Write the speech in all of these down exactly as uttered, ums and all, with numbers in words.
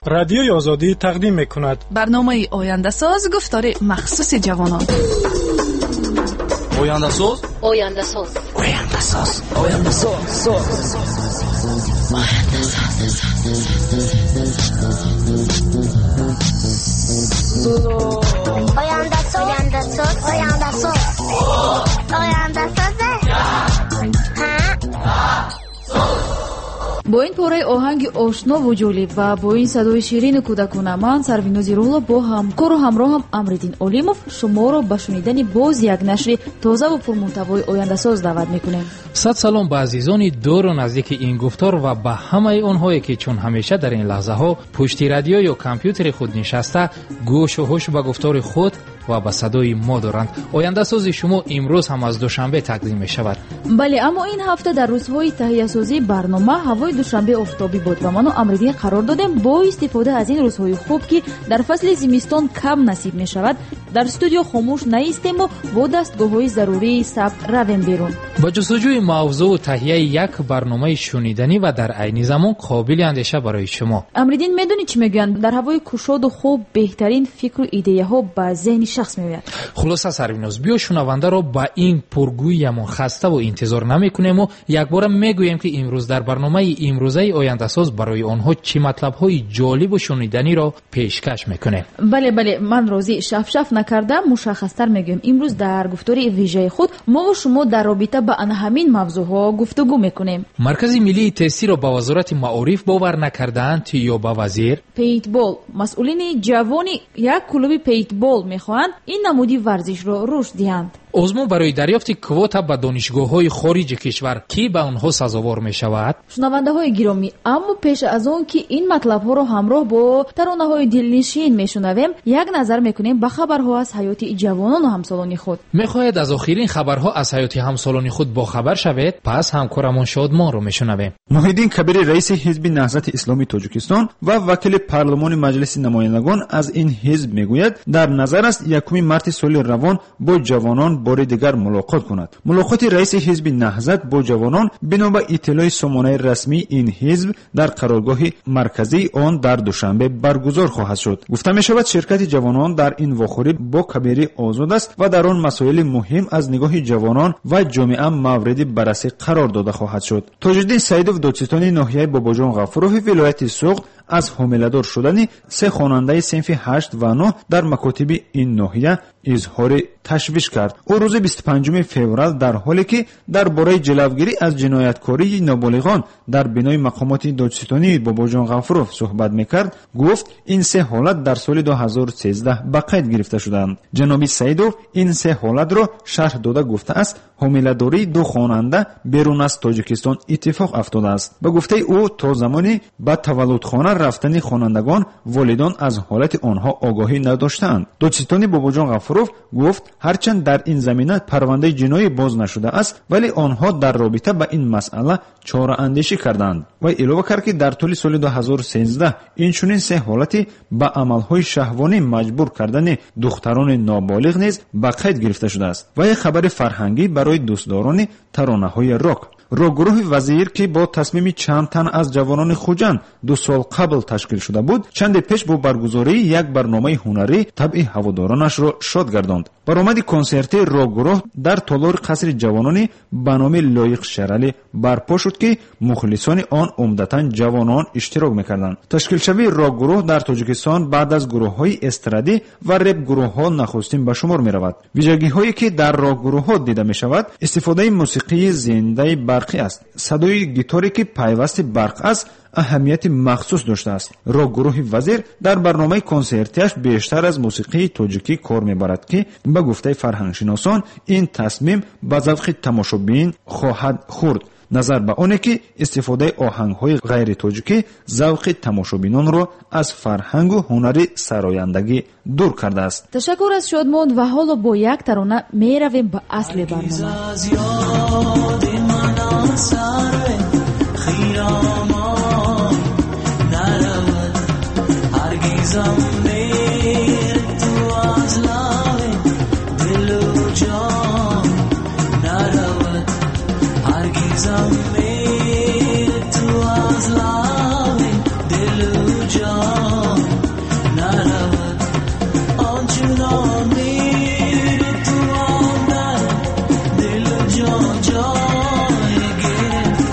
Радиои Озодӣ тақдим мекунад. Барномаи Ояндасоз, гуфтори махсуси ҷавонон. Ояндасоз, Ояндасоз, Ояндасоз, Ояндасоз, Ояндасоз, Ояндасоз, Ояндасоз, Ояндасоз. Бо ин пораи оҳанги ошнову ҷолиб ва бо ин садои ширину кӯдакона ман, Сарвинози Рулло, бо ҳамкору ҳамроҳам Амриддин Олимов шуморо ба шунидани боз як нашри тозаву пурмуҳтавои Ояндасоз даъват мекунем. Сад салом ба азизони дуру наздики ин гуфтор ва ба ҳамаи онҳое, ки чун ҳамеша дар ин лаҳзаҳо пушти радио ё компютери худ нишаста гӯшу ҳуш ба гуфтори худ ва ба садои мо доранд. Ояндасози шумо имрӯз ҳам аз Душанбе тақдим мешавад. Бале, аммо ин ҳафта дар рӯзҳои таҳиясозии барнома ҳавои Душанбе офтобӣ буд ва ману Амриддин қарор додем бо истифода аз ин рӯзҳои хуб, ки дар фасли зимистон кам насиб мешавад, дар студио хомӯш наистему бо дастгоҳҳои зарурии сабт равем берун. Ба ҷустуҷӯи мавзӯъ таҳияи як барномаи шуниданӣ ва дар айни замон қобили андеша барои шумо. Амриддин, медонӣ чӣ мегӯянд? Дар ҳавои кушоду хуб беҳтарин фикру идеяҳо ба зеҳни шахс меояд. Хулоса, Сарвиноз, биё шунавандаро ба ин пургӯиямон хаставу интизор намекунему якбора мегӯем, ки имрӯз дар барномаи имрӯзаи Ояндасоз барои онҳо чӣ матлабҳои ҷолибу шуниданиро пешкаш мекунем. Бале, бале, ман розӣ. Шафшаф накарда мушаххастар мегӯем. Имрӯз дар гуфтори вижаи худ мову шумо дар робита ба ана ҳамин мавзӯъҳо гуфтугӯ мекунем. Маркази миллии тестиро ба Вазорати маориф бовар накардаанд ё ба вазир? Пейнтбол. Масъулини ҷавони як клуби пейнтбол мехоҳанд ин намуди варзишро рушд диҳанд. Озмун барои дарёфти квота ба донишгоҳҳои хориҷи кишвар, ки ба онҳо сазовор мешавад. Шунавандаҳои гиромӣ, аммо пеш аз он ки ин матлабҳоро ҳамроҳ бо таронаҳои дилнишин мешунавем, як назар мекунем ба хабарҳо аз ҳаёти ҷавонону ҳамсолони худ. Мехоҳед аз охирин хабарҳо аз ҳаёти ҳамсолони худ бохабар шавед? Пас ҳамкорамон Шодмонро мешунавем. Муҳиддин Кабири, раиси ҳизби Наҳзати Исломии Тоҷикистон ва вакили парлумони Маҷлиси намояндагон аз ин ҳизб мегӯяд, дар назар аст якуми марти соли равон бо ҷавонон бори дигар мулоқот кунад. Мулоқоти раиси ҳизби Наҳзат бо ҷавонон бино ба иттилои сомонаи расмии ин ҳизб дар қароргоҳи марказии он дар Душанбе баргузор хоҳад шуд. Гуфта мешавад, ширкати ҷавонон дар ин вохӯрӣ бо Кабирӣ озод аст ва дар он масоили муҳим аз нигоҳи ҷавонон ва ҷомеа мавриди баррасӣ қарор дода хоҳад шуд. Тоҷиддин Саидов, додситони ноҳияи Бобоҷон Ғафурови вилояти Суғд, аз ҳомиладор шудани се хонандаи синфи ҳашт ва нӯҳ дар макотиби ин ноҳия изҳори ташвиш кард. Ӯ рӯзи бисту панҷуми феврал дар ҳоле ки дар бораи ҷилавгирӣ аз ҷинояткории ноболиғон дар бинои мақомоти додситонии Бобоҷон Ғафуров суҳбат мекард, гуфт ин се ҳолат дар соли ду ҳазору сездаҳ ба қайд гирифта шуданд. Ҷаноби Саидов ин се ҳолатро шарҳ дода гуфтааст, ҳомиладории ду хонанда берун аз Тоҷикистон иттифоқ афтодааст. Ба гуфтаи ӯ, то замони ба таваллудхона рафтани хонандагон волидон аз ҳолати онҳо огоҳӣ надоштаанд. Додситони Бобоҷон Ғафуров гуфт, ҳарчанд дар ин замина парвандаи ҷиноӣ боз нашудааст, вале онҳо дар робита ба ин масъала чораандешӣ карданд. Вай илова кард, ки дар тӯли соли ду ҳазору сездаҳ инчунин се ҳолати ба амалҳои шаҳвонӣ маҷбур кардани духтарони ноболиғ низ ба қайд гирифта шудааст. Ва як хабари фарҳангӣ барои дӯстдорони таронаҳои рок. Рок-гурӯҳи Вазир, ки бо тасмими чанд тан аз ҷавонони Хуҷанд ду сол қабл ташкил шуда буд, чанде пеш бо баргузории як барномаи ҳунарӣ табъи ҳаводоронашро шод гардонд. Баромади консерти рок-гурӯҳ дар толори қасри ҷавонони ба номи Лоиқ Шералӣ барпо шуд, ки мухлисони он умдатан ҷавонон иштирок мекарданд. Ташкилшавии рок-гурӯҳ дар Тоҷикистон баъд аз гурӯҳҳои эстрадӣ ва реп-гурӯҳҳо нахустин ба шумор меравад. Вижагиҳое ки дар рок-гурӯҳҳо дида мешавад, истифодаи мусиқии зиндаи барқӣ аст. Садои гиторе ки пайвасти барқ аст, аҳамияти махсус доштааст. Рок-гурӯҳи Вазир дар барномаи консертиаш бештар аз мусиқии тоҷикӣ кор мебарад, ки ба гуфтаи фарҳангшиносон ин тасмим ба завқи тамошобин хоҳад хӯрд. Назар ба оне ки истифодаи оҳангҳои ғайритоҷикӣ завқи тамошобинонро аз фарҳангу ҳунари сарояндагӣ дур кардааст. Ташаккур аз Шодмон ва ҳоло бо як тарона меравем ба асли барнома. Zamir tu az lave dil جان نرود آنچنان میر تو در دل و جان جای گرفت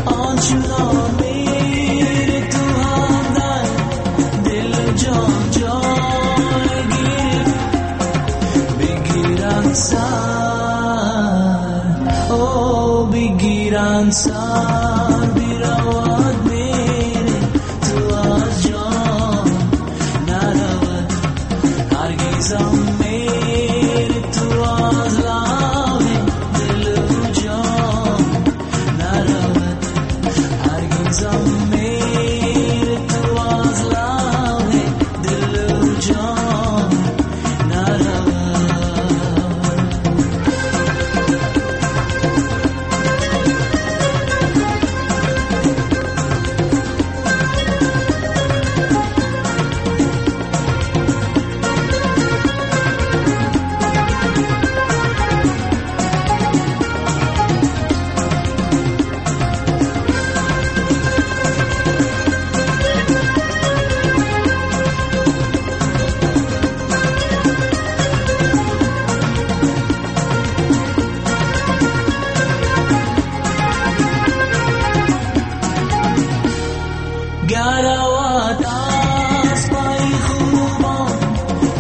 آنچنان میر تو در دل و جان جای گرفت بگیرند سر او بگیرند سر برود میر تو از جان نرود هرگزم میر تو از لب دل و جان نرود هرگزم میر تو از لب دل و جان نرود. گروات از پای خوبان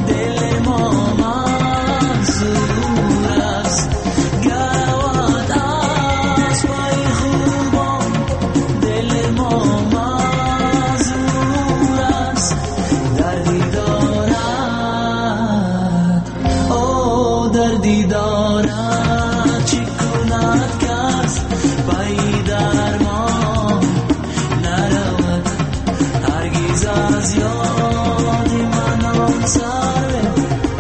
دل ما منظور است گروات از پای خوبان دل ما منظور است دردی دارد او دردی دارد چی کند کس پای درمان نرود هرگز از یاد من آن سرو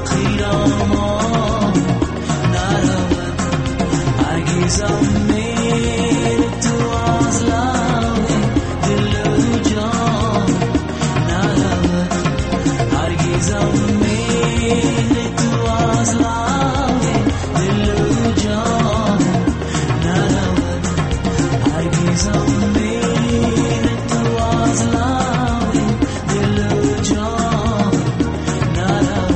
خیرامان نرود هرگزم میر تو از لب دل و جان نرود هرگزم میر تو از لب دل و جان نرود هرگزم میر تو از لب دل و جان نرود.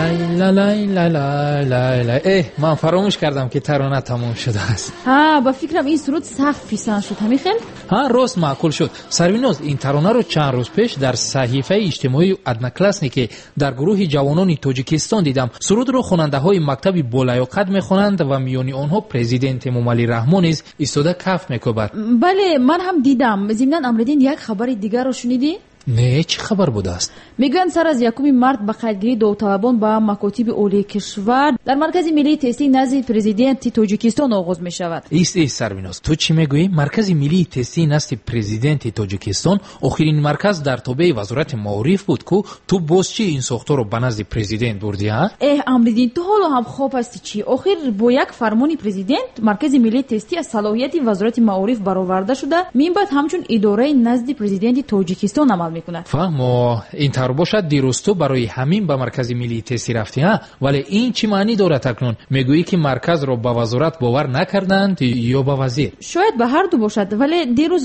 лай лай лай лай лай лай. Эҳ, ман фаромӯш кардам ки тарона тамом шудааст. Ҳа, ба фикрам ин суруд сахт писанд шуд, ҳамин хел? Ҳа, рост маъқул шуд. Сарвиноз, ин таронаро чанд рӯз пеш дар саҳифаи иҷтимоии Одноклассники дар гурӯҳи ҷавонони Тоҷикистон дидам. Сурудро хонандаҳои мактаби болаёқат мехонанд ва миёни онҳо президент Эмомалӣ Раҳмон низ истода каф мекӯбад. Бале, ман ҳам дидам. Зимнан Амриддин, як хабари дигарро шунидӣ? Не, чӣ хабар будааст? Мегӯянд сар аз якуми март ба қайдгирии довталабон ба макотиби олии кишвар дар Маркази миллии тестии назди президенти Тоҷикистон оғоз мешавад. Ист, ист, Сарвиноз, ту чӣ мегӯӣ? Маркази миллии тестии назди президенти Тоҷикистон охирин марказ дар тобеи Вазорати маориф буд ку? Ту боз чӣ ин сохторро ба назди президент бурдӣ, ҳа? Эҳ, Амриддин, ту ҳоло ҳам хоб ҳастӣ чӣ? Охир бо як фармони президент Маркази миллии тестӣ аз салоҳияти Вазорати маориф бароварда шуда, минбаъд ҳамчун идораи назди президенти Тоҷикистон амал мекунад. Фаҳмо, ин тавр бошад, дирӯз ту барои ҳамин ба Маркази миллии тестӣ рафтӣ, ҳа? Вале ин чӣ маънӣ дорад акнун? Мегӯӣ ки марказро ба вазорат бовар накарданд ё ба вазир? Шояд ба ҳар ду бошад, вале дирӯз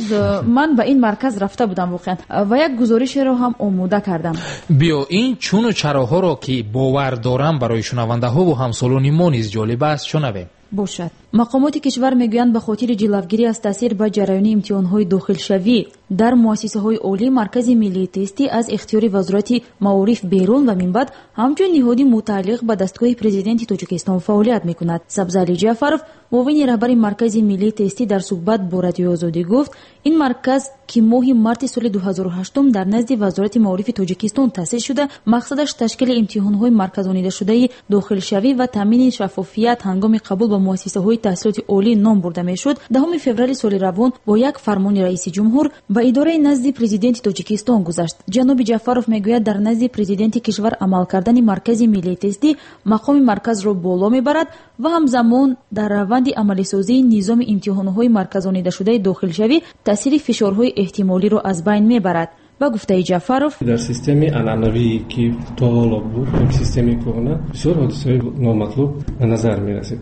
ман ба ин марказ рафта будам воқеан ва як гузоришеро ҳам омода кардам. Биё ин чуну чароҳоро ки бовар дорам барои шунавандаҳову ҳамсолони мо низ ҷолиб аст, шунавем. Бошад. Мақомоти кишвар мегӯянд ба хотири ҷилавгирӣ аз таъсир ба ҷараёни имтиҳонҳои дохилшавӣ дар муассисаҳои олӣ Маркази миллии тестӣ аз ихтиёри Вазорати маориф берун ва минбаъд ҳамчун ниҳоди мутааллиқ ба дастгоҳи президенти Тоҷикистон фаъолият мекунад. Сабзали Ҷаъфаров, муовини раҳбари Маркази миллии тестӣ дар суҳбат бо Радиои Озодӣ гуфт, ин марказ ки моҳи марти соли ду ҳазору ҳаштум дар назди Вазорати маорифи Тоҷикистон таъсис шуда, мақсадаш ташкили имтиҳонҳои марказонидашудаи дохилшавӣ ва таъмини шаффофият ҳангоми қабул ба муассисаҳои муассисаҳои таҳсилоти олӣ ном бурда мешуд, даҳуми феврали соли равон бо як фармони раиси ҷумҳур ба идораи назди президенти Тоҷикистон гузашт. Ҷаноби Ҷафаров мегӯяд, дар назди президенти кишвар амал кардани маркази миллии тестӣ мақоми марказро боло мебарад ва ҳамзамон дар раванди амалисозии низоми имтиҳонҳои марказонидашудаи дохилшавӣ таъсири фишорҳои эҳтимолиро аз байн мебарад. Ба гуфтаи Ҷафаров, дар системаи анъанавие ки то ҳоло буд, системаи кӯҳна, бисёр ҳодисаҳои номатлуб ба назар мерасид.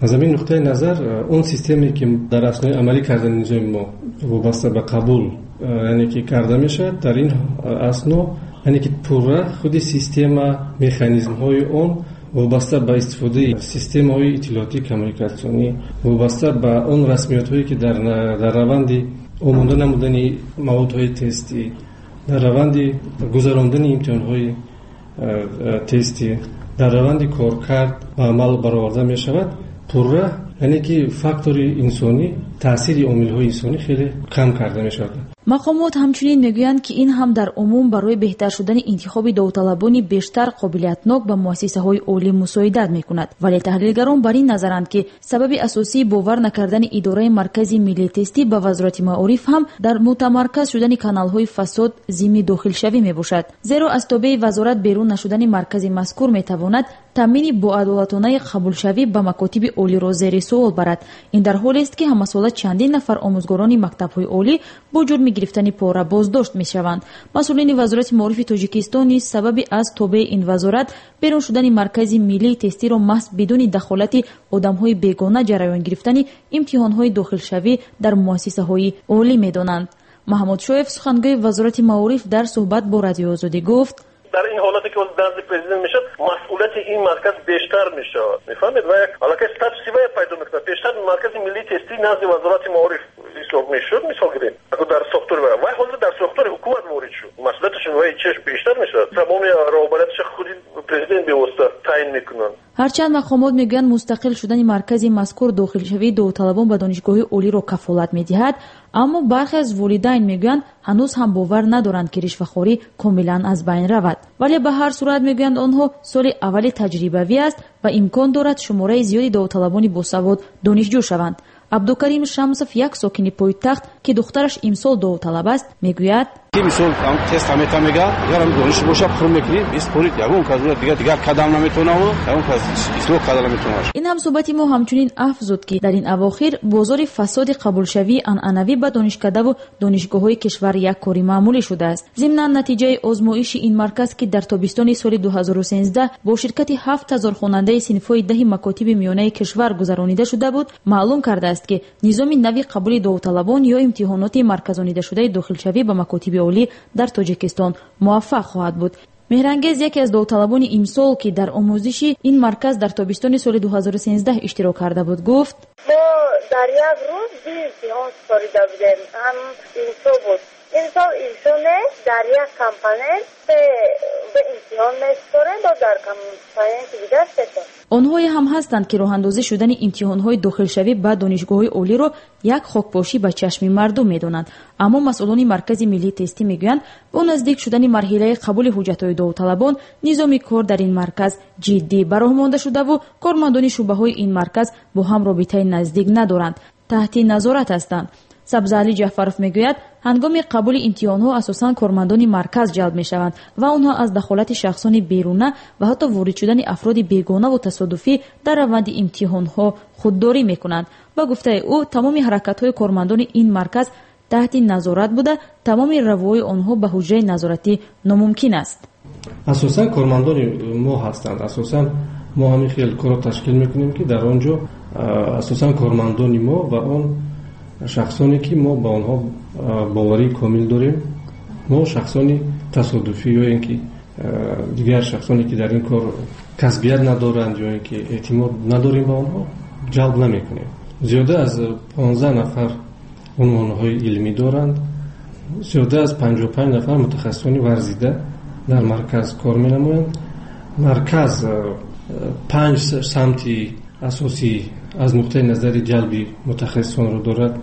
Аз ҳамин нуқтаи назар он системе ки дар аснои амалӣ кардани низоми мо вобаста ба қабул, яъне ки карда мешавад, дар ин асно яъне ки пурра худи система, механизмҳои он вобаста ба истифодаи системаҳои иттилоотӣ коммуникатсионӣ, вобаста ба он расмиётҳое ки дар дар раванди омода намудани маводҳои тестӣ, дар раванди гузарондани имтиҳонҳои тестӣ, дар раванди коркард ба амал бароварда мешавад, пурра яъне ки фактори инсонӣ, таъсири омилҳои инсонӣ хеле кам карда мешавад. Мақомот ҳамчунин мегӯянд, ки ин ҳам дар умум барои беҳтар шудани интихоби довталабони бештар қобилиятнок ба муассисаҳои олӣ мусоидат мекунад. Вале таҳлилгарон бар ин назаранд, ки сабаби асосии бовар накардани идораи маркази миллии тестӣ ба вазорати маориф ҳам дар мутамарказ шудани каналҳои фасод зимни дохилшавӣ мебошад. Зеро аз тобеи вазорат берун нашудани маркази мазкур метавонад таъмини боадолатонаи қабулшавӣ ба макотиби олиро зери суол барад. Ин дар ҳолест, ки ҳамасола чандин нафар омӯзгорони мактабҳои олӣ бо ҷурми гирифтани пора боздошт мешаванд. Масъулини вазорати маорифи Тоҷикистон низ сабаби аз тобеи ин вазорат берун шудани маркази миллии тестиро маҳз бидуни дахолати одамҳои бегона ҷараён гирифтани имтиҳонҳои дохилшавӣ дар муассисаҳои олӣ медонанд. Маҳмудшоев, сухангӯи вазорати маориф, дар суҳбат бо Радиои Озодӣ гуфт: дар ин ҳолате ки назди президент мешавад, масъулияти ин марказ бештар мешавад. Мефаҳмед? Ва як аллакай статуси вай пайдо мекунад. Пештар маркази миллии тестӣ назди вазорати маориф ҳисоб мешуд, мисол гирем, дар сохтори вай, вай ҳозир дар сохтори ҳукумат ворид шуд. Масъулияташ вай чеш бештар мешавад. Тамоми роҳбарияташ худи президент бевосита таъин мекунанд. Ҳарчанд мақомот мегӯянд, мустақил шудани маркази мазкур дохилшавии довталабон ба донишгоҳи олиро кафолат медиҳад, аммо бархе аз волидайн мегӯянд, ҳанӯз ҳам бовар надоранд, ки ришвахорӣ комилан аз байн равад. Вале ба ҳар сурат мегӯянд, онҳо соли аввали таҷрибавӣ аст ва имкон дорад шумораи зиёди довталабони босавод донишҷӯ шаванд. Абдукарим Шамсов, як сокини пойтахт, ки духтараш имсол довталаб аст, мегӯяд: мисол тест ҳамета мега, агар дониш боша пур мекунӣ, биспорид, ягон кас дигар дигар кадам наметонаву ягон кас ислоҳ карда наметонад. Ин ҳамсӯҳбати мо ҳамчунин афзуд, ки дар ин авохир бозори фасоди қабулшавии анъанавӣ ба донишкадаву донишгоҳҳои кишвар як кори маъмулӣ шудааст. Зимнан натиҷаи озмоиши ин марказ, ки дар тобистони соли ду ҳазору сенздаҳ бо ширкати ҳафт ҳазор хонандаи синфҳои даҳи макотиби миёнаи кишвар гузаронида шуда буд, маълум кардааст, ки низоми нави қабули довталабон ё имтиҳоноти марказонидашудаи дохилшавӣ ба макотиби олӣ дар Тоҷикистон муваффақ хоҳад буд. Меҳрангез, яке аз довталабони имсол, ки дар омӯзиши ин марказ дар тобистони соли ду ҳазору сенздаҳ иштирок карда буд, гуфт: мо дар як рӯз ду имтиҳон супорида будем, ҳам имсол буд. Имсол имсол нест, дар як компонент се имтиҳон месупорем, бо дар компоненти дигар сето. Онҳое ҳам ҳастанд, ки роҳандозӣ шудани имтиҳонҳои дохилшавӣ ба донишгоҳҳои олиро як хокпошӣ ба чашми мардум медонанд. Аммо масъулони маркази миллии тестӣ мегӯянд, бо наздик шудани марҳилаи қабули ҳуҷҷатҳои довталабон низоми кор дар ин марказ ҷиддӣ ба роҳ монда шудаву кормандони шӯъбаҳои ин марказ бо ҳам робитаи наздик надоранд, таҳти назорат ҳастанд. Сабзаали Ҷафаров мегӯяд, ҳангоми қабули имтиҳонҳо асосан кормандони марказ ҷалб мешаванд ва онҳо аз дахолати шахсони беруна ва ҳатто ворид шудани афроди бегонаву тасодуфӣ дар раванди имтиҳонҳо худдорӣ мекунанд. Ба гуфтаи ӯ, тамоми ҳаракатҳои кормандони ин марказ таҳти назорат буда, тамоми равои онҳо ба ҳуҷраи назоратӣ номумкин аст. Асосан кормандони мо ҳастанд. Асосан мо ҳамин хел корро ташкил мекунем, ки дар он ҷо асосан кормандони мо ва он шахсоне ки мо ба онҳо боварии комил дорем, мо шахсони тасодуфӣ ё ин ки дигар шахсоне ки дар ин кор касбият надоранд ё ин ки эътимод надорем ба онҳо, ҷалб намекунем. Зиёда аз понздаҳ нафар унвонҳои илмӣ доранд, зиёда аз панҷоҳу панҷ нафар мутахассисони варзида дар марказ кор менамоянд. Марказ панҷ самти асосӣ аз нуқтаи назари ҷалби мутахассисонро дорад.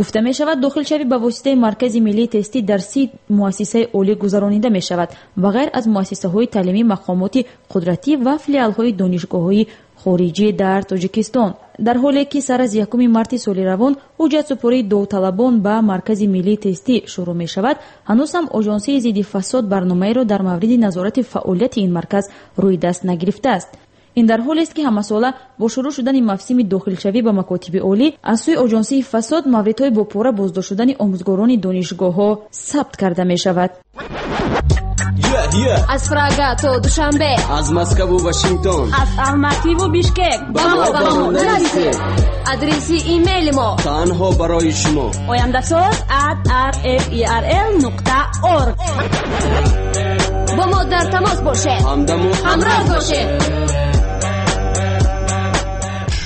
Гуфта мешавад, дохилшавӣ ба воситаи маркази миллии тестӣ дар си муассисаи олӣ гузаронида мешавад ва ғайр аз муассисаҳои таълимӣ, мақомоти қудратӣ ва филиалҳои донишгоҳҳои хориҷӣ дар Тоҷикистон. Дар ҳоле ки сар аз якуми марти соли равон ҳуҷҷатсупории довталабон ба Маркази миллии тестӣ шурӯъ мешавад, ҳанӯз ҳам Оҷонсии зидди фасод барномаеро дар мавриди назорати фаъолияти ин марказ рӯи даст нагирифтааст. Ин дар ҳолест ки ҳамасола бо шурӯъ шудани мавсими дохилшавӣ ба макотиби олӣ аз сӯи Оҷонсии фасод мавридҳои бо пора боздошт шудани омӯзгорони донишгоҳҳо сабт карда мешавад. Аз Прага то Душанбе, аз Москву Вашингтон, аз Алмативу Бишкек ба мо ба мо нарасед. Адреси имейли мо танҳо барои шумо ояндасоз at r f e r l нуқта org. Бо мо дар тамос бошед, ҳамдаму ҳамроҳ бошед.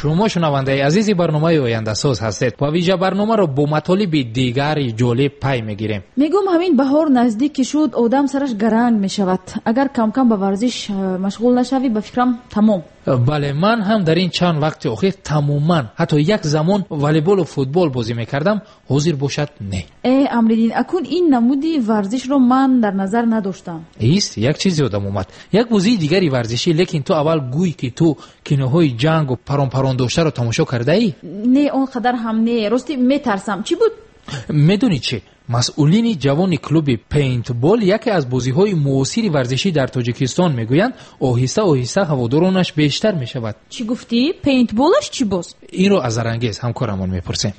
Шумо шунавандаи азизи барномаи ояндасоз ҳастед ва вижа барномаро бо матолиби дигари ҷолиб пай мегирем. Мегӯм, ҳамин баҳор наздик ки шуд, одам сараш гаранг мешавад. Агар камкам ба варзиш машғул нашавӣ, ба фикрам тамом. Бале, ман ҳам дар ин чанд вақти охир тамоман, ҳатто як замон волейболу футбол бозӣ мекардам, ҳозир бошад не. Э, Амриддин, акун ин намуди варзишро ман дар назар надоштам. Ист, як чиз ёдам омад. Як бозии дигари варзишӣ, лекин ту аввал гӯй ки ту киноҳои ҷангу парон-парон доштаро тамошо кардаӣ? Не, он қадар ҳам не. Рости метарсам. Чӣ буд? Медонӣ чӣ? Масъулини ҷавони клуби пейнтбол яке аз бозиҳои муосири варзишӣ дар Тоҷикистон мегӯянд, оҳиста оҳиста ҳаводоронаш бештар мешавад. Чӣ гуфтӣ? Пейнтболаш чӣ боз? Инро аз Арангез ҳамкорамон мепурсем.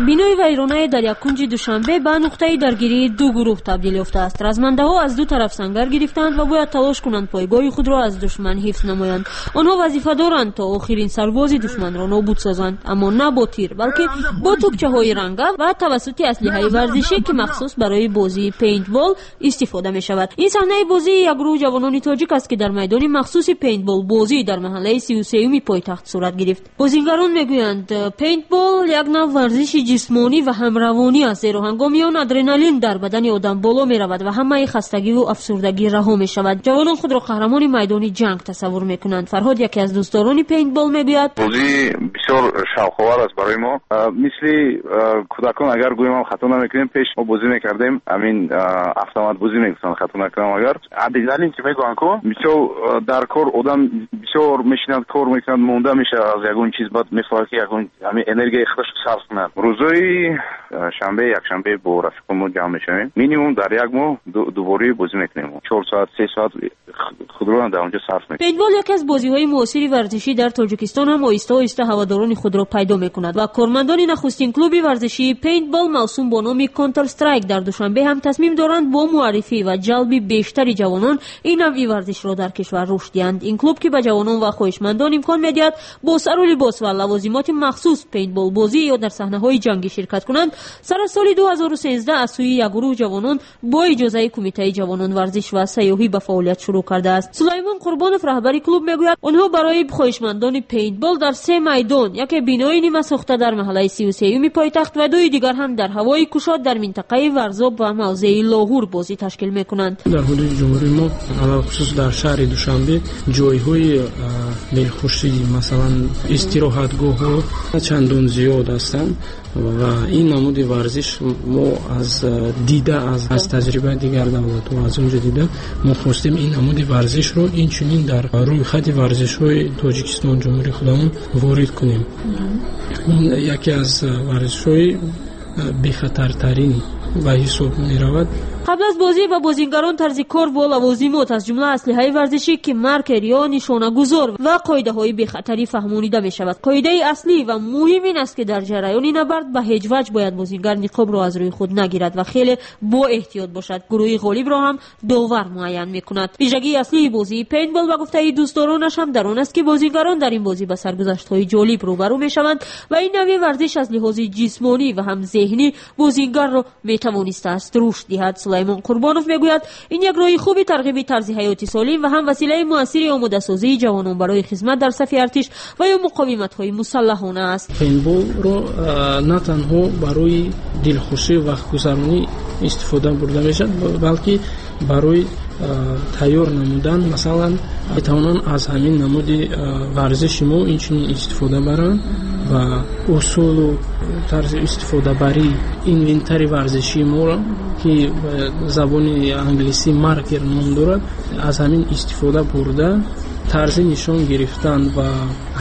Бинои вайронае дар як кунҷи Душанбе ба нуқтаи даргирии ду гурӯҳ табдил ёфтааст. Размандаҳо аз ду тараф сангар гирифтаанд ва бояд талош кунанд пойгоҳи худро аз душман ҳифз намоянд. Онҳо вазифа доранд то охирин сарбози душманро нобуд созанд, аммо на бо тир, балки бо тӯпчаҳои ранга ва тавассути аслиҳаи варзишӣ, ки махсус барои бозии пейнтбол истифода мешавад. Ин саҳнаи бозии як гурӯҳ ҷавонони тоҷик аст, ки дар майдони махсуси пейнтбол бозӣ дар маҳаллаи сию сеюми пойтахт сурат гирифт. Бозингарон мегӯянд, пейнтбол як нав варзиши ҷисмонӣ ва ҳамравонӣ аст, зеро ҳангоми он адреналин дар бадани одам боло меравад ва ҳамаи хастагиву афсурдагӣ раҳо мешавад. Ҷавонон худро қаҳрамони майдони ҷанг тасаввур мекунанд. Фарҳод, яке аз дӯстдорони пейнтбол, мегӯяд: бозӣ бисёр шавқовар аст барои мо. Мисли кӯдакон, агар гӯем ҳам хато намекунем, пеш мо бозӣ мекардем, ҳамин автомат бозӣ мегуфтанд, хато накунам агар. Адреналин ки мегӯянд ку, бисёр дар кор одам бисёр мешинад, кор мекунад, монда мешавад аз ягон чиз, баъд мехоҳад ки ягон ҳамин энергияи худашро сарф кунад. Рӯзҳои шанбе, якшанбе бо рафиқон мо ҷамъ мешавем. Минимум дар як моҳ дубораи бозӣ мекунем. Чор соат, се соат худро дар онҷо сарф мекунем. Пейнтбол яке аз бозиҳои муосири варзишӣ дар Тоҷикистон ҳам оҳиста оҳиста ҳаводорони худро пайдо мекунад ва кормандони нахустин клуби варзишии пейнтбол мавсум бо номи Контр Страйк дар Душанбе ҳам тасмим доранд бо муаррифӣ ва ҷалби бештари ҷавонон ин навъи варзишро дар кишвар рушд диҳанд. Ин клуб, ки ба ҷавонон ва хоҳишмандон имкон медиҳад бо сару либос ва лавозимоти махсус пейнтбол бозӣ ё дар саҳнаҳои ҷангӣ ширкат кунанд, сар аз соли ду ҳазору сенздаҳ аз сӯи як гурӯҳ ҷавонон бо иҷозаи Кумитаи ҷавонон, варзиш ва сайёҳӣ ба фаъолият шурӯъ кардааст. Сулаймон Қурбонов, раҳбари клуб, мегӯяд, онҳо барои хоҳишмандони пейнтбол дар се майдон, яке бинои нимасохта дар маҳаллаи сию сеюми пойтахт ва дуи дигар ҳам дар ҳавои кушод дар минтақаи Варзоб ва мавзеи Лоҳур бозӣ ташкил мекунанд. Дар ҳудуди ҷумҳурии мо, алалхусус дар шаҳри Душанбе, ҷойҳои дилхушӣ, масалан истироҳатгоҳҳо чандон зиёд ҳастанд ва ин намуди варзиш мо аз дида, аз, аз таҷрибаи дигар давлатҳо аз он ҷо дида, мо хостем ин намуди варзишро инчунин дар рӯйхати варзишҳои Тоҷикистон, ҷумҳурии худамон ворид кунем. Ин яке аз варзишҳои бехатартарин ба ҳисоб меравад. Қабл аз бозӣ ба бозингарон тарзи кор бо лавозимот, аз ҷумла аслиҳаи варзишӣ, ки маркер ё нишонагузор ва қоидаҳои бехатарӣ фаҳмонида мешавад. Қоидаи аслӣ ва муҳим ин аст, ки дар ҷараёни набард ба ҳеҷ ваҷ бояд бозингар ниқобро аз рӯи худ нагирад ва хеле бо эҳтиёт бошад. Гурӯҳи ғолибро ҳам довар муайян мекунад. Вижагии аслии бозии пейнтбол ба гуфтаи дӯстдоронаш ҳам дар он аст, ки бозингарон дар ин бозӣ ба саргузаштҳои ҷолиб рӯбарӯ мешаванд ва ин навъи варзиш аз лиҳози ҷисмонӣ ва ҳам зеҳнӣ бозингарро метавонистааст рушд диҳад. Сулаймон Қурбонов мегӯяд, ин як роҳи хуби тарғиби тарзи ҳаёти солим ва ҳам василаи муассири омодасозии ҷавонон барои хизмат дар сафи артиш ва ё муқовиматҳои мусаллаҳона аст. Пейнтболро на танҳо барои дилхушӣ ва вақтгузаронӣ истифода бурда мешавад, балки барои тайёр намудан, масалан метавонанд аз ҳамин намуди варзиши мо инчунин истифода баранд ва усулу тарзи истифодабарии инвентари варзишии моро, ки забони англисӣ маркер ном дорад, аз ҳамин истифода бурда тарзи нишон гирифтан ва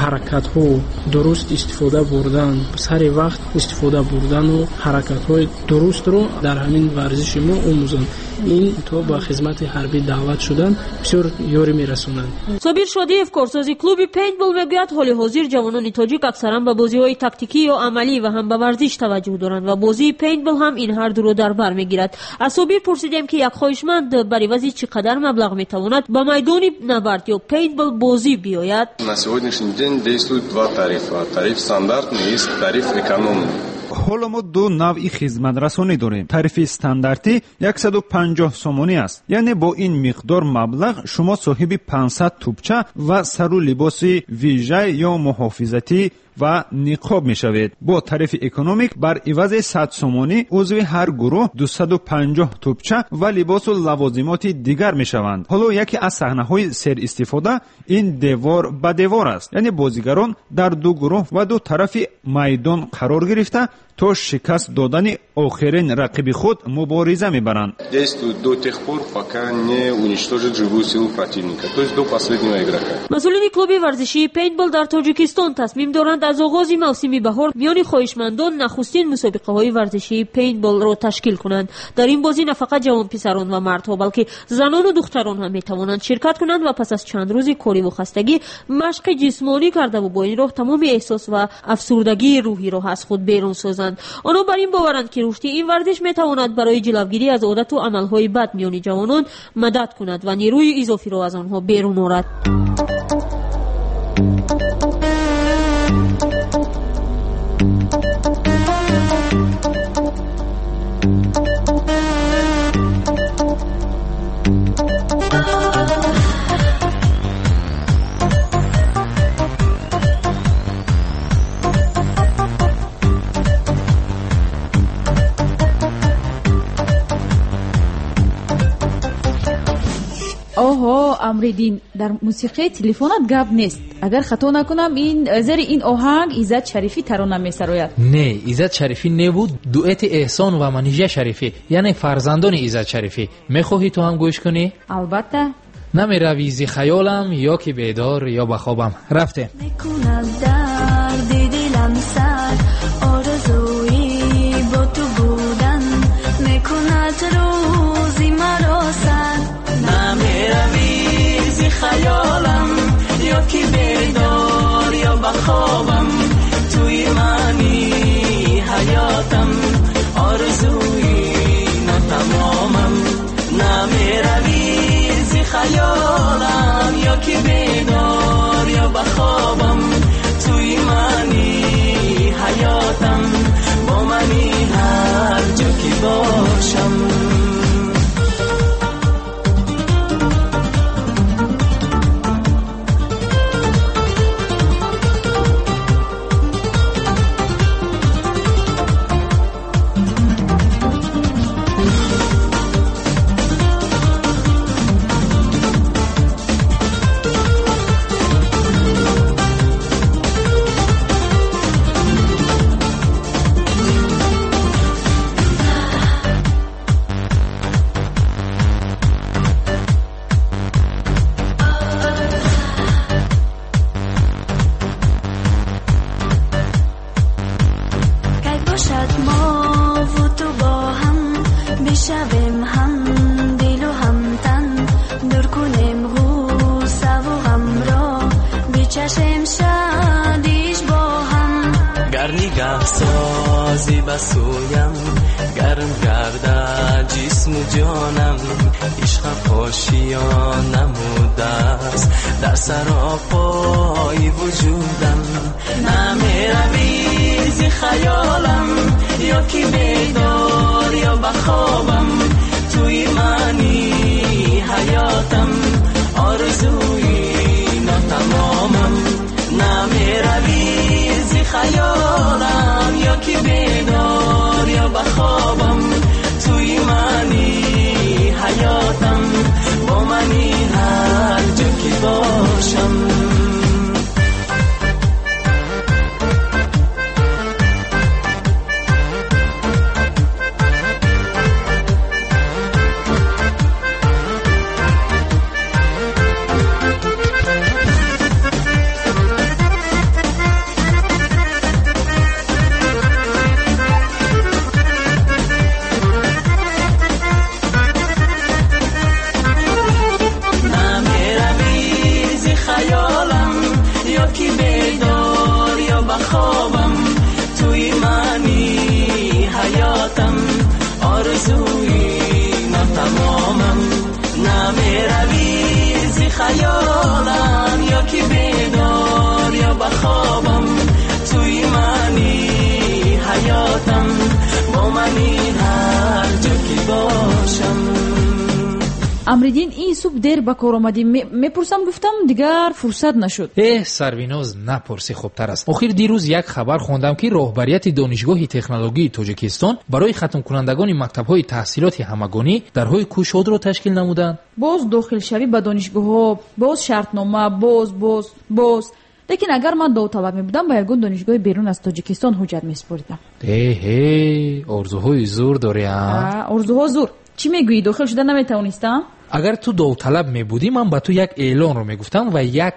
ҳаракатҳо дуруст истифода бурдан, сари вақт истифода бурдану ҳаракатҳои дурустро дар ҳамин варзиши мо омӯзанд. Ин то ба хизмати ҳарбӣ даъват шудан бисёр ёрӣ мерасонанд. Собир Шодиев, корсози клуби пейнтбол, мегӯяд ҳоли ҳозир ҷавонони тоҷик аксаран ба бозиҳои тактикӣ ё амалӣ ва ҳам ба варзиш таваҷҷӯҳ доранд ва бозии пейнтбол ҳам ин ҳар дуро дар бар мегирад. Аз Собир пурсидем, ки як хоҳишманд бар ивази чӣ қадар маблағ метавонад ба майдони набард ё пейнтбол бозӣ биёяд. На сегодняшний день действуют два тарифа. Тариф стандартный и тариф экономный. Ҳоло мо ду навъи хизматрасонӣ дорем. Тарифи стандартӣ яксаду панҷоҳ сомонӣ аст, яъне бо ин миқдор маблағ шумо соҳиби панҷсад тӯбча ва сару либоси вижа ё муҳофизатӣ ва ниқоб мешавед. Бо тарифи экономик бар ивази сад сомонӣ узви ҳар гурӯҳ дусаду панҷоҳ тӯбча ва либосу лавозимоти дигар мешаванд. Ҳоло яке аз саҳнаҳои серистифода ин девор ба девор аст, яъне бозигарон дар ду гурӯҳ ва ду тарафи майдон қарор гирифта то шикаст додани охирин рақиби худ мубориза мебаранд. Действует до тех пор, пока не уничтожит живую силу противника, то есть до последнего игрока. Масъулини клуби варзишии пейнтбол дар Тоҷикистон тасмим доранд аз оғози мавсими баҳор миёни хоҳишмандон нахустин мусобиқаҳои варзишии пейнтболро ташкил кунанд. Дар ин бозӣ на фақат ҷавонписарон ва мардҳо, балки занону духтарон ҳам метавонанд ширкат кунанд ва пас аз чанд рӯзи кориву хастагӣ машқи ҷисмонӣ кардаву бо ин роҳ тамоми эҳсос ва афсурдагии рӯҳиро аз худ берун созанд. Онҳо бар ин боваранд, ки рушди ин варзиш метавонад барои ҷилавгирӣ аз одату амалҳои бад миёни ҷавонон мадад кунад ва нерӯи изофиро аз онҳо берун орад. Оҳо, Амриддин, дар мусиқии телефонат гап нест. Агар хато накунам, ин зери ин оҳанг Иззат Шарифӣ тарона месарояд. Не, Иззат Шарифӣ небуд, дуэти Эҳсон ва Манижа Шарифӣ, яъне фарзандони Иззат Шарифӣ. Мехоҳӣ ту ҳам гӯш кунӣ? Албатта. Намеравӣ зи хаёлам, ё ки бедор, ё ба хобам. Рафтем. Мекунад дарди дилам сар, орзуи бо ту будан, мекунад рӯзи маро сар. Намеравӣ зи хаёлам, ё ки бедор, ё ба хобам, туи мани ҳаётам, орзуи натамомам. Намеравӣ зи хаёлам, ё ки бедор, ё ба хобам, туи мани ҳаётам, бо мани ҳар ҷо ки бошам. Созӣ ба сӯям, гарм гардад ҷисму ҷонам, ишқам ошиён намудааст дар саропои вуҷудам. Намеравӣ зи хаёлам, ё ки бедор, ё ба хобам, туи мани ҳаётам, орзуи нотамомам. Намеравӣ зи хаёлам, ё ки бедор, ё ба хобам, туи мани ҳаётам, бо باشم. خیالم یا که بیدار یا بخوابم، توی منی حیاتم، با منی هر جا که باشم. Амриддин, ин субҳ дер ба кор омадӣ. Мепурсам гуфтам, дигар фурсат нашуд. Эҳ, Сарвиноз, напурсӣ хубтар аст. Охир дирӯз як хабар хондам, ки роҳбарияти Донишгоҳи технологии Тоҷикистон барои хатмкунандагони мактабҳои таҳсилоти ҳамагонӣ дарҳои кушодро ташкил намуданд. Боз дохилшавӣ ба донишгоҳҳо, боз шартнома, боз боз боз. Лекин агар ман довталаб мебудам, ба ягон донишгоҳи берун аз Тоҷикистон ҳуҷҷат месупоридам. Эҳе, орзуҳои зур дорӣ, а? Орзуҳо зур. Чӣ мегӯӣ, дохил шуда наметавонистам? Агар ту довталаб мебудӣ, ман ба ту як эълонро мегуфтам ва як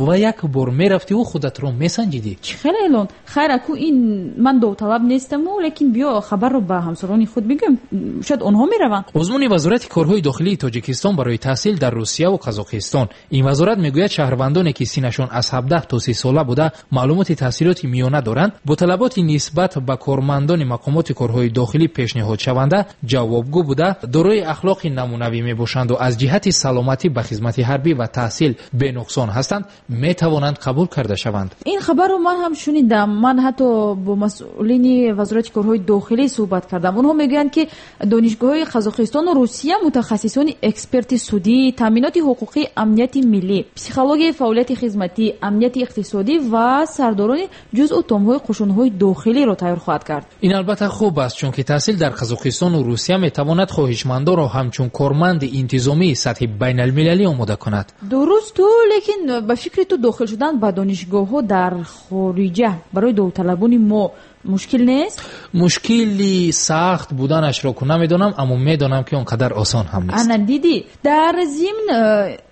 ва як бор мерафтиву худатро месанҷидӣ. Чӣ хел эълон? Хайр, аку ин ман довталаб нестаму, лекин биё хабарро ба ҳамсарони худ бигӯем, шояд онҳо мераванд. Озмуни Вазорати корҳои дохилии Тоҷикистон барои таҳсил дар Русияву Қазоқистон. Ин вазорат мегӯяд, шаҳрвандоне ки синнашон аз ҳабдаҳ то си сола буда маълумоти таҳсилоти миёна доранд, бо талаботи нисбат ба кормандони мақомоти корҳои дохилӣ пешниҳодшаванда ҷавобгӯ буда, дорои ахлоқи намунавӣ мебошанд ва аз ҷиҳати саломатӣ ба хизмати ҳарбӣ ва таҳсил бенуқсон ҳастанд, метавонанд қабул карда шаванд. Ин хабарро ман ҳам шунидам. Ман ҳатто бо масъулини Вазорати корҳои дохилӣ суҳбат кардам. Онҳо мегӯянд, ки донишгоҳҳои Қазоқистону Русия мутахассисони эксперти судӣ, таъминоти ҳуқуқӣ, амнияти миллӣ, психологияи фаъолияти хизматӣ, амнияти иқтисодӣ ва сардорони ҷузъу томҳои қушунҳои дохилиро тайёр хоҳад кард. Ин албатта хуб аст, чунки таҳсил дар Қазоқистону Русия метавонад хоҳишмандонро ҳамчун корманди интизомии сатҳи байналмилалӣ омода кунад. Дуруст ту, лекин ба фикри ту дохил шудан ба донишгоҳҳо дар хориҷа барои довталабони мо мушкил нест? Мушкили сахт буданашро ку намедонам, аммо медонам, ки он қадар осон ҳам нест. Ана дидӣ, дар зимн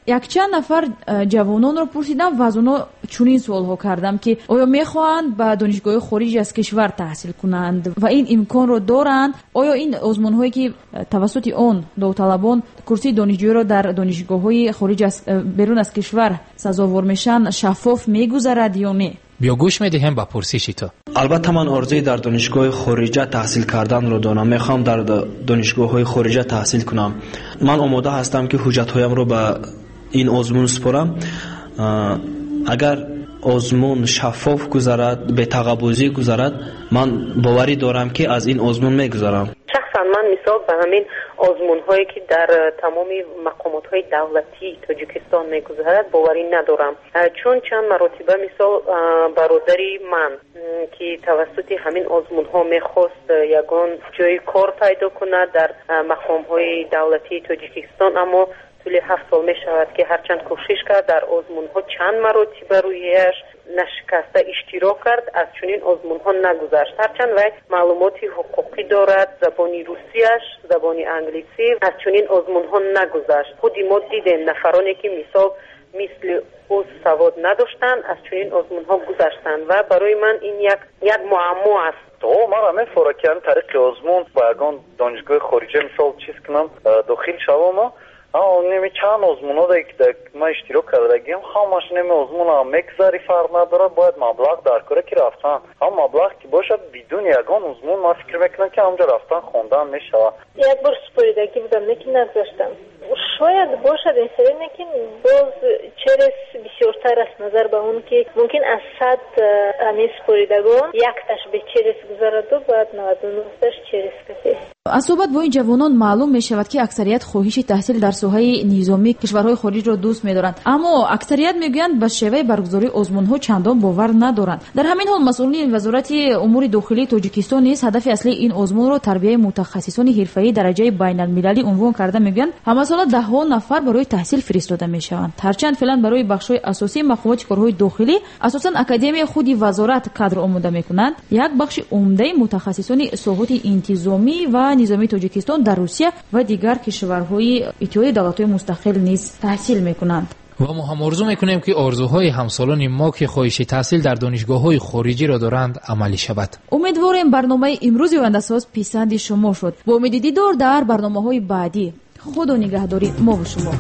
якчанд нафар ҷавононро пурсидам ва аз онҳо чунин суолҳо кардам, ки оё мехоҳанд ба донишгоҳи хориҷ аз кишвар таҳсил кунанд ва ин имконро доранд? Оё ин озмунҳое ки тавассути он довталабон курсии донишҷӯиро дар донишгоҳҳои хориҷ аз берун аз кишвар сазовор мешаванд, шаффоф мегузарад ё не? Биё гӯш медиҳем ба пурсиши ту. Албатта ман орзуи дар донишгоҳи хориҷа таҳсил карданро дорам. Мехоҳам дар донишгоҳҳои хориҷа таҳсил кунам. Ман омода ҳастам, ки ҳуҷҷатҳоямро ба ин озмун супорам. Агар озмун шаффоф гузарад, бетағаббузӣ гузарад, ман боварӣ дорам, ки аз ин озмун мегузарам. Шахсан ман мисол ба ҳамин озмунҳое ки дар тамоми мақомотҳои давлатии Тоҷикистон мегузарад боварӣ надорам, чун чанд маротиба мисол бародари ман ки тавассути ҳамин озмунҳо мехост ягон ҷои кор пайдо кунад дар мақомҳои давлатии Тоҷикистон, аммо тӯли ҳафт сол мешавад ки ҳарчанд кӯшиш кард, дар озмунҳо чанд маротиба рӯяш нашикаста иштирок кард, аз чунин озмунҳо нагузашт. Ҳарчанд вай маълумоти ҳуқуқӣ дорад, забони русияш, забони англисӣ, аз чунин озмунҳо нагузашт. Худи мо дидем нафароне ки мисол мисли ӯ савод надоштанд, аз чунин озмунҳо гузаштанд ва барои ман ин як як муаммо аст. О, мара мефора ки ҳамин тариқи озмун ба ягон донишгоҳи хориҷа мисол чиз кунам, дохил шавам. Неми чанд озмунҳо ки ман иштирок кардагиам, ҳамаш неми озмунам мегузари, фарқ надорад, бояд маблағ дар кора ки рафтан. Ҳам маблағ ки бошад, бидуни ягон озмун ман фикр мекунам, ки ҳамҷо рафтан хондан мешавад. Як бор супоридагӣ будам, лекин нагузаштам. Шояд бошад ин сери, лекин боз через бисёртар аст назар ба он ки мумкин аз сад ҳамин супоридагон якташ бе через гузараду, баъд наваду нӯҳташ через кафе. Аз суҳбат бо ин ҷавонон маълум мешавад, ки аксарият хоҳиши таҳсил дар соҳаи низомии кишварҳои хориҷро дӯст медоранд, аммо аксарият мегӯянд ба шеваи баргузории озмунҳо чандон бовар надоранд. Дар ҳамин ҳол масъулини Вазорати умури дохилии Тоҷикистон низ ҳадафи аслии ин озмунро тарбияи мутахассисони ҳирфаии дараҷаи байналмилалӣ унвон карда мегӯянд, ҳамасола Ҳамасола даҳҳо нафар барои таҳсил фиристода мешаванд. Ҳарчанд феълан барои бахшҳои асосии мақомоти корҳои дохилӣ асосан академияи худи вазорат кадр омода мекунанд, як бахши умдаи мутахассисони соҳоти интизомӣ ва низомии Тоҷикистон дар Русия ва дигар кишварҳои Иттиҳоди давлатҳои мустақил низ таҳсил мекунанд. Ва мо ҳам орзу мекунем, ки орзуҳои ҳамсолони мо, ки хоҳиши таҳсил дар донишгоҳҳои хориҷиро доранд, амалӣ шавад. Умедворем барномаи имрӯзи Ояндасоз писанди шумо шуд. Бо умеди дидор дар барномаҳои баъдӣ. Худо нигаҳдори мову шумо.